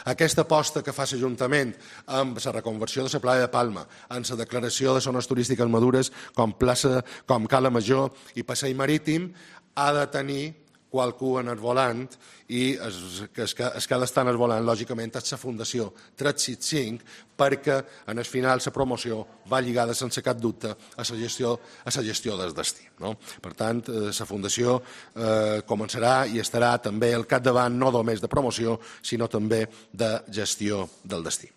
Aquesta aposta que fa l'Ajuntament amb la reconversió de la Playa de Palma, amb la declaració de zones turístiques madures com Cala Major i Passeig Marítim, ha de tenir qualcú en el volant i el que ha d'estar en el volant, lògicament, és la Fundació 365, perquè en el final la promoció va lligada sense cap dubte a la gestió del destí. Per tant, la Fundació començarà i estarà també al capdavant no només de promoció, sinó també de gestió del destí.